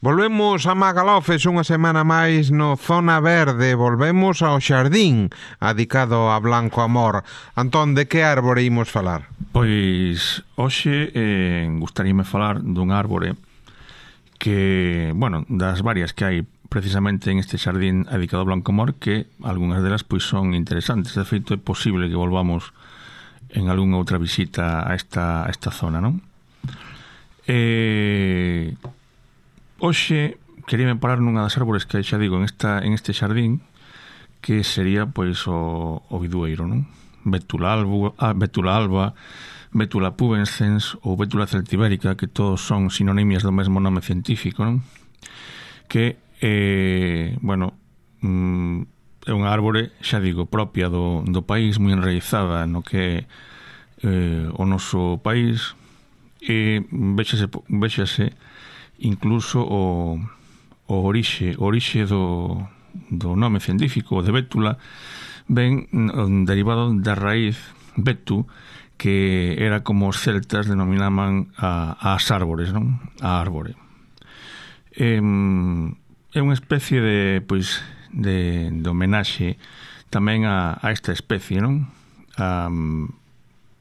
Volvemos a Magalofes unha semana máis no Zona Verde. Volvemos ao xardín adicado a Blanco Amor. Antón, de que árbore imos falar? Pois hoxe gustaríame falar dun árbore que, bueno, das varias que hai precisamente en este xardín adicado a Blanco Amor, que algunhas delas pois son interesantes. De feito, é posible que volvamos en algunha outra visita a esta zona, non? Hoxe queríame parar nunha das árbores que xa digo en este xardín, que sería pois o bidueiro, non? Bétula alba, Bétula pubescens ou Bétula celtibérica, que todos son sinonimias do mesmo nome científico, non? Que é unha árbore, xa digo, propia do país, moi enraizada no que o noso país, e véxase incluso o orixe do nome científico de bétula ven derivado da raíz betu, que era como os celtas denominaban as árbores, non? A árbore. É unha especie de homenaxe tamén a esta especie, non?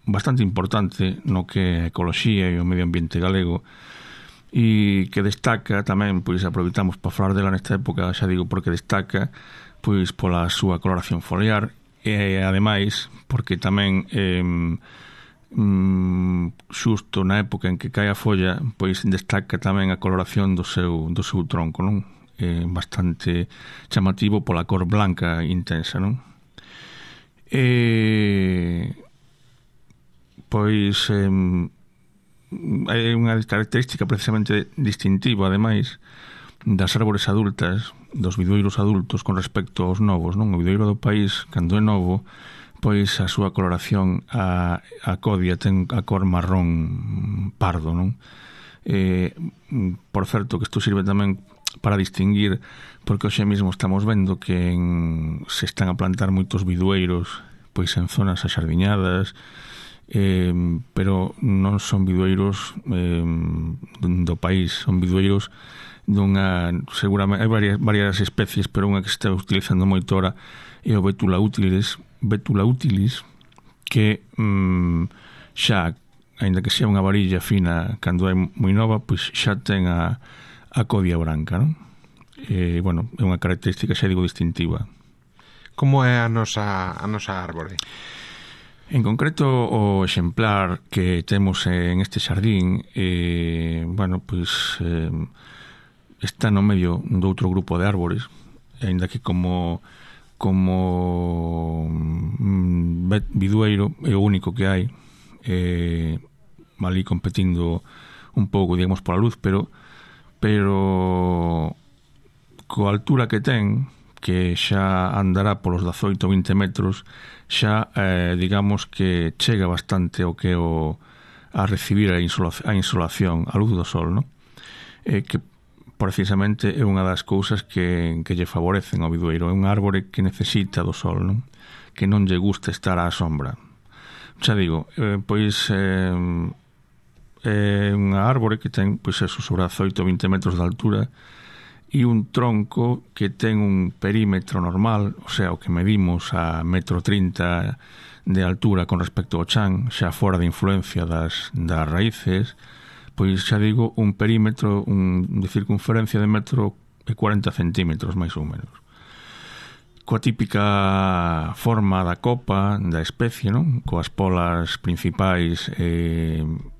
Bastante importante no que a ecoloxía e o medio ambiente galego, e que destaca tamén, pois aproveitamos para falar dela nesta época, xa digo, porque destaca pois pola súa coloración foliar e ademais porque tamén xusto na época en que cae a folla, pois destaca tamén a coloración do seu tronco, non? Bastante chamativo pola cor blanca intensa, non? Pois hai unha característica precisamente distintiva, ademais, das árbores adultas, dos bidueiros adultos con respecto aos novos, non? O bidueiro do país, cando é novo, pois a súa coloración, a codia ten a cor marrón pardo, non? Por certo, que isto sirve tamén para distinguir, porque hoxe mesmo estamos vendo que se están a plantar moitos bidueiros pois en zonas axardiñadas, pero non son bidueiros do país, son bidueiros seguramente hai varias especies, pero unha que se está utilizando moito ahora é o Bétula utilis, que xa, aínda que sea unha varilla fina cando é moi nova, pois xa ten a codia branca, non? É unha característica, xa digo, distintiva. Como é a nosa árbore? En concreto, o exemplar que temos en este xardín está no medio do outro grupo de árbores, aínda que como bidueiro é o único que hai, ali competindo un pouco, digamos, pola luz, pero coa altura que ten, que xa andará polos 18-20 metros, xa digamos que chega bastante ao que a recibir a insolación, a luz do sol, non? Que precisamente é unha das cousas que lle favorecen ao bidueiro. É un árbore que necesita do sol, non? Que non lle gusta estar á sombra. Xa digo, pois é unha árbore que ten pois eso, sobre 18-20 metros de altura, e un tronco que ten un perímetro normal, o sea, o que medimos a 1,30 m de altura con respecto ao chan, xa fora de influencia das raíces, pois xa digo, un perímetro de circunferencia de 1,40 m, máis ou menos. Coa típica forma da copa da especie, non? Coas polas principais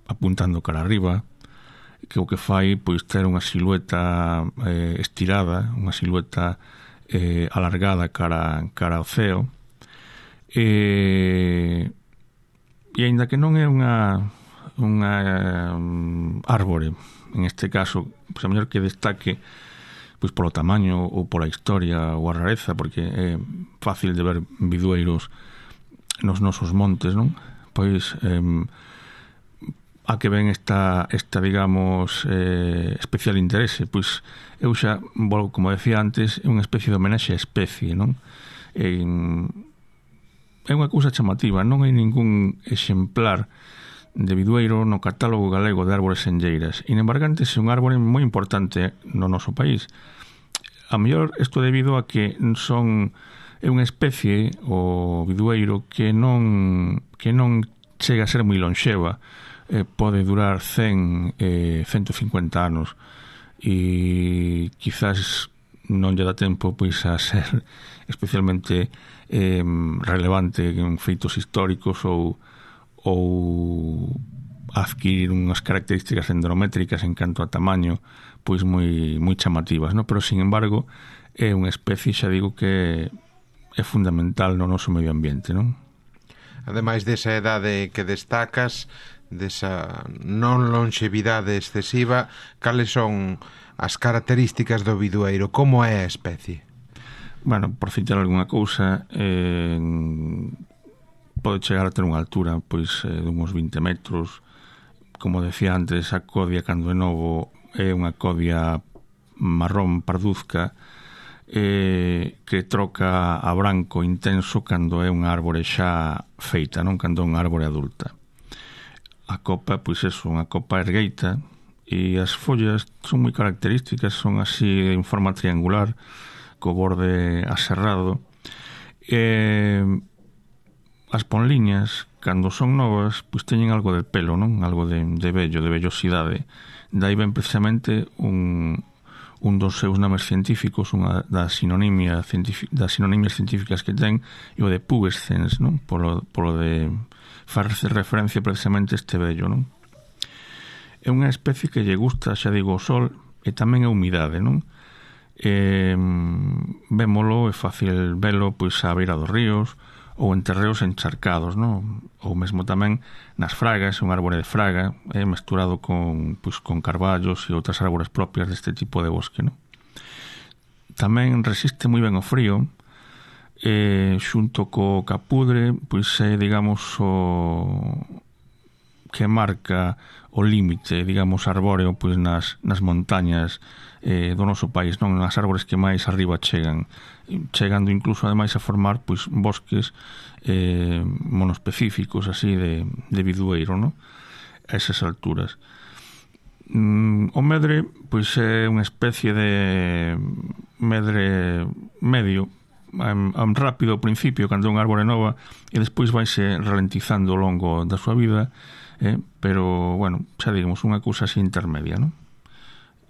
apuntando cara arriba, que o que fai pois ter unha silueta estirada, unha silueta alargada cara ao ceo, e aínda que non é unha árbore, en este caso, pois a mellor que destaque pois polo tamaño ou pola historia ou a rareza, porque é fácil de ver bidueiros nos nosos montes, non? Pois a que ven esta digamos, especial interese, pois eu xa, como decía antes, é unha especie de homenaxe a especie, non? É unha cousa chamativa, non hai ningún exemplar de bidueiro no catálogo galego de árbores senlleiras. E Embargantes é un árbore moi importante no noso país. A mellor isto debido a que é unha especie, o bidueiro, que non chega a ser moi lonxeva. Pode durar 100, 150 anos e quizás non lle dá tempo pois a ser especialmente relevante en feitos históricos ou adquirir unhas características dendrométricas en canto a tamaño pois moi chamativas, no? Pero sin embargo é unha especie, xa digo, que é fundamental no noso medio ambiente, non? Ademais desa edade que destacas, desa non lonxevidade excesiva, cales son as características do bidueiro? Como é a especie? Bueno, por citar algunha cousa, pode chegar a ter unha altura pois de uns 20 metros. Como decía antes, a codia cando é novo é unha codia marrón parduzca que troca a branco intenso cando é unha árbore xa feita, non cando é unha árbore adulta. A copa, pois é unha copa ergueita e as follas son moi características, son así en forma triangular co borde aserrado. As ponliñas, cando son novas, pois teñen algo de pelo, non? Algo de vello, de vellosidade. Dai ben precisamente un dos seus nomes científicos, unha das sinonimias científicas que ten, e o de pubescens, non? Polo de farse referencia precisamente a este vello, non? É unha especie que lle gusta, xa digo, o sol e tamén a humidade, non? Vémolo, é fácil velo pois á beira dos ríos ou en terreos encharcados, non? Ou mesmo tamén nas fragas, un árbore de fraga mesturado con carballos e outras árbores propias deste tipo de bosque, non? Tamén resiste moi ben o frío, xunto co capudre, pois é, digamos, o que marca o límite, digamos, arbóreo pois nas montañas do noso país, non? Nas árbores que máis arriba chegan, chegando incluso ademais a formar pois bosques monoespecíficos así de bidueiro, non? A esas alturas. O medre pois é unha especie de medre medio, rápido ao principio cando é unha árbore nova e despois vaise ralentizando ao longo da súa vida, pero, bueno, xa digamos unha cousa así intermedia, non?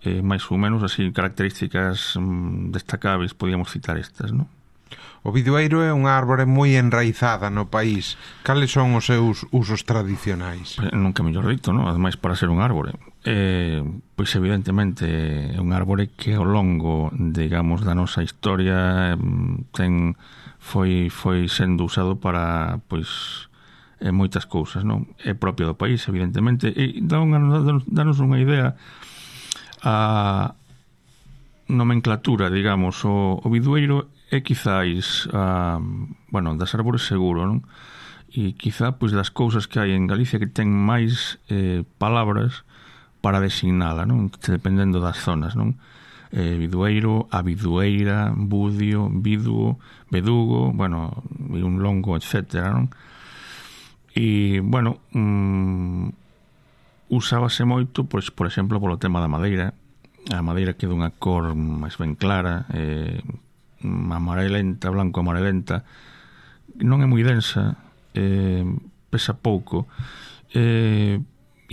máis ou menos así características destacáveis podíamos citar estas, non? O bidueiro é unha árbore moi enraizada no país. Cales son os seus usos tradicionais? Nunca mellor dito, non? Ademais, para ser un árbore, pois evidentemente é un árbore que ao longo, digamos, da nosa historia foi sendo usado para, pois, moitas cousas, non? É propio do país, evidentemente, e danos unha idea a nomenclatura, digamos. O bidueiro é quizáis das árbores seguro, non? E quizá pois das cousas que hai en Galicia que ten máis palabras para designala, non? Dependendo das zonas, non? Bidueiro, abidueira, budio, biduo, bedugo, e un longo, etcétera, non? E, usábase moito, pois, por exemplo, polo tema da madeira. A madeira que é dunha cor máis ben clara, amarelenta, blanco amarelenta, non é moi densa, pesa pouco, e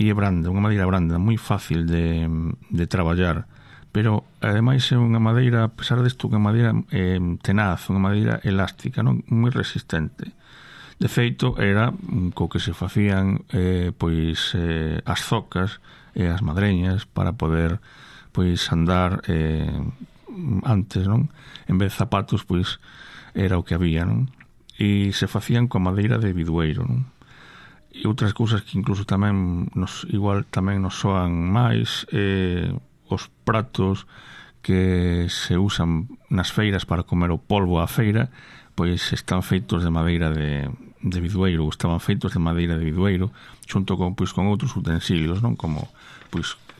é branda, unha madeira branda, moi fácil de traballar, pero ademais é unha madeira, a pesar disto, unha madeira tenaz, unha madeira elástica, non? Moi resistente. De feito, era co que se facían as zocas e as madreñas para poder andar antes, non? En vez de zapatos, era o que había, non? E se facían coa madeira de bidueiro, non? E outras cousas que incluso tamén nos soan máis, os pratos que se usan nas feiras para comer o polvo á feira, pois están feitos de madeira de bidueiro, estaban feitos de madeira de bidueiro, xunto con outros utensilios, non? Como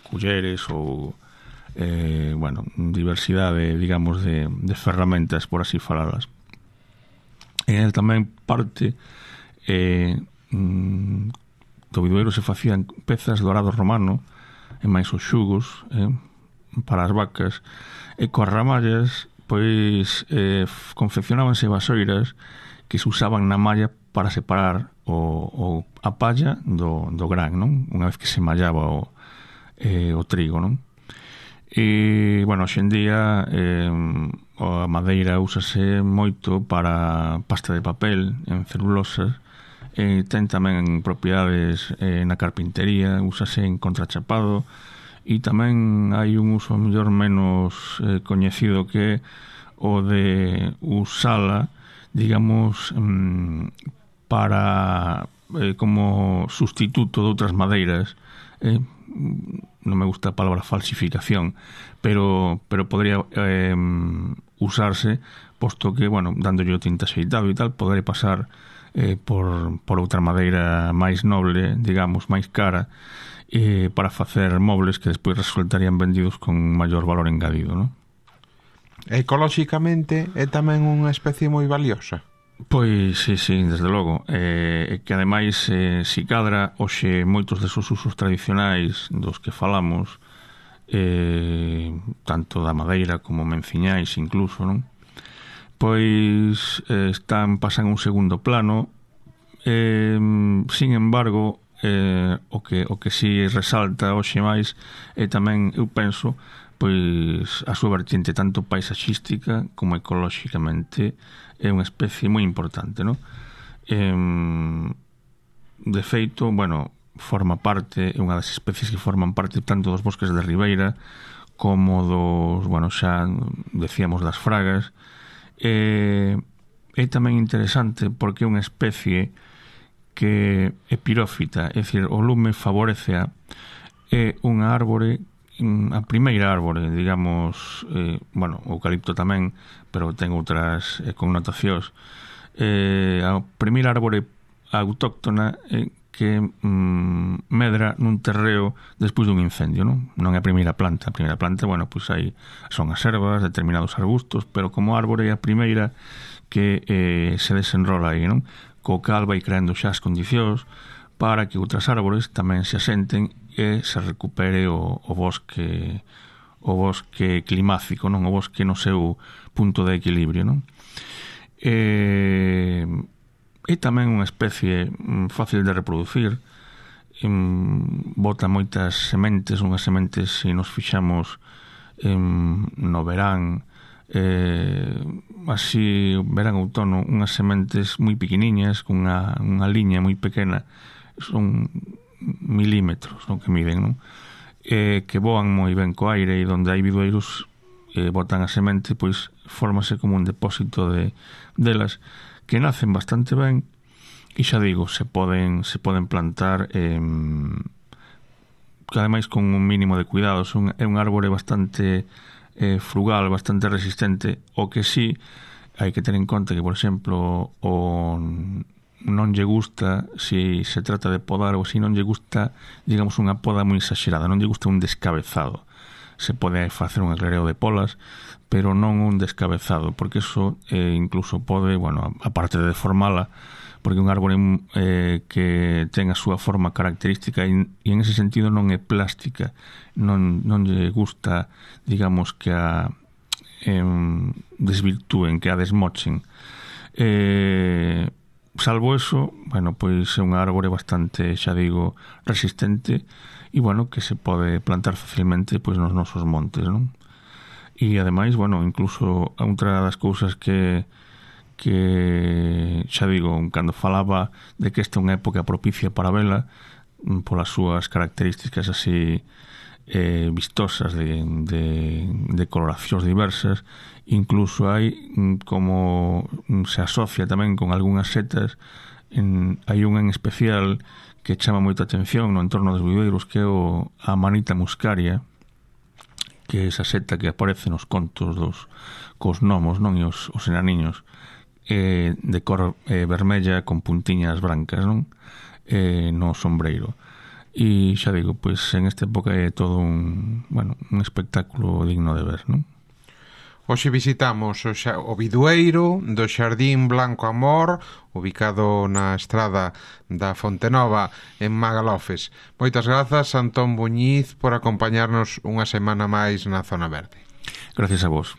culleres ou diversidade, digamos, de ferramentas, por así falalas. E tamén parte do bidueiro se facían pezas do arado romano e máis os xugos para as vacas, e coas ramallas pois confeccionábanse vasoiras que se usaban na malla para separar a palla do gran, non? Unha vez que se mallaba o trigo, non? E, bueno, hoxe en día a madeira úsase moito para pasta de papel en celulosas, ten tamén propiedades na carpintería, úsase en contrachapado, e tamén hai un uso mellor menos coñecido que o de usala, digamos, para como sustituto de outras madeiras. Non me gusta a palabra falsificación, pero podría usarse, posto que, bueno, dándolle o tinte axeitado e tal, podería pasar por outra madeira máis noble, digamos, máis cara, para facer mobles que despois resultarían vendidos con maior valor engadido, non? Ecolóxicamente é tamén unha especie moi valiosa. Pois sí, desde logo, que ademais si cadra hoxe moitos desos usos tradicionais dos que falamos, tanto da madeira como menciñais incluso, non? Pois pasan un segundo plano, sin embargo, o que si resalta hoxe máis é tamén, eu penso, pois a súa vertiente tanto paisaxística como ecolóxicamente é unha especie moi importante, non? De feito, bueno, forma parte, é unha das especies que forman parte tanto dos bosques de ribeira como dos, bueno, xa decíamos das fragas. É tamén interesante porque é unha especie que é pirófita, é dicir, o lume favorece é unha árbore, a primeira árbore, digamos, bueno, o eucalipto tamén, pero ten outras connotacións. A primeira árbore autóctona que medra nun terreo despois dun incendio, non? Non é a primeira planta. A primeira planta, bueno, pois aí son as ervas, determinados arbustos, pero como árbore é a primeira que se desenrola aí, non? Co cal vai creando xa as condicións para que outras árbores tamén se asenten e se recupere o bosque climático, non? O bosque no seu punto de equilibrio, non? É tamén unha especie fácil de reproducir, bota moitas sementes, unhas sementes, se nos fixamos no verán, así, verán, outono, unhas sementes moi pequeniñas, con unha liña moi pequena, son milímetros, non, que miden, non? Que voan moi ben co aire, e onde hai bidueiros botan a semente, pois fórmase como un depósito delas que nacen bastante ben, e xa digo, se poden plantar, que ademais con un mínimo de cuidados. É un árbore bastante frugal, bastante resistente. O que sí hai que ter en conta que, por exemplo, non lle gusta, se se trata de podar, ou se non lle gusta, digamos, unha poda moi exagerada, non lle gusta un descabezado. Se pode facer un aclareo de polas, pero non un descabezado, porque eso incluso pode, bueno, aparte de deformala, porque un árbore que ten a súa forma característica e en ese sentido non é plástica, non lle gusta, digamos, que a desvirtúen, que a desmochen. Salvo eso, bueno, pois é un árbore bastante, xa digo, resistente, e, bueno, que se pode plantar facilmente pois nos nosos montes, non? E, ademais, bueno, incluso outra das cousas que xa digo, cando falaba de que esta é unha época propicia para vela, polas súas características así vistosas de coloracións diversas, incluso hai como se asocia tamén con algunhas setas, hai unha en especial que chama moita atención no entorno dos bidueiros, que é a Amanita muscaria, que é esa seta que aparece nos contos cos gnomos, non? E os enaniños, de cor vermella con puntiñas brancas, non? No sombreiro. E xa digo, pois en esta época é todo un espectáculo digno de ver, non? Hoxe visitamos o bidueiro do Xardín Blanco Amor, ubicado na estrada da Fontenova en Magalofes. Moitas grazas, Antón Buñiz, por acompañarnos unha semana máis na Zona Verde. Gracias a vos.